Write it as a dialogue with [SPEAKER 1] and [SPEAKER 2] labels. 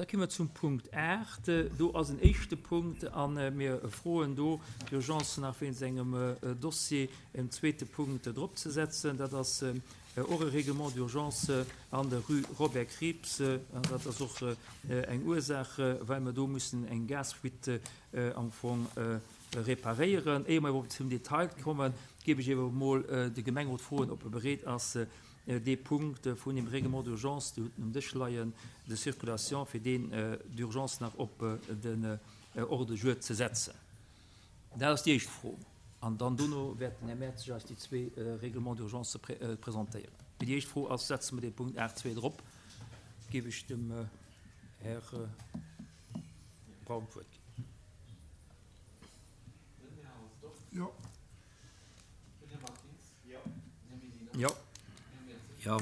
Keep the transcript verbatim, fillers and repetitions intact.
[SPEAKER 1] Da komme mer zum Punkt aacht. Do ass en éischte Punkt a mir froen do d'Urgence nach wéinst engem Dossier en zweete Punkt drop ze setzen. Dat ass och e Règlement d'urgence an der Rue Robert Krieps. An dat ass och eng Ursaach, well mer do mussen eng Gasfuite am Fong reparéieren. Éier mer iwwerhaupt zum Detail kommen, géif ech awer emol de Gemengerot froen, ob e bereet ass, dee Punkt vun dem Règlement d'urgence, Dir hutt en um Dësch leien, de circulation, fir deen d'urgence nach op den Ordre du jour ze setzen. Dat ass déi éischt Fro. An dann dono wäert den Här Mertzig eis déi zwee Règlements d'urgence presentéieren. Mee déi éischt Fro ass, Setze mer dee Punkt aacht zwee drop? Géif ech dem Här Braun d'Wuert ginn.
[SPEAKER 2] Jo.
[SPEAKER 1] Jo.
[SPEAKER 3] Jo.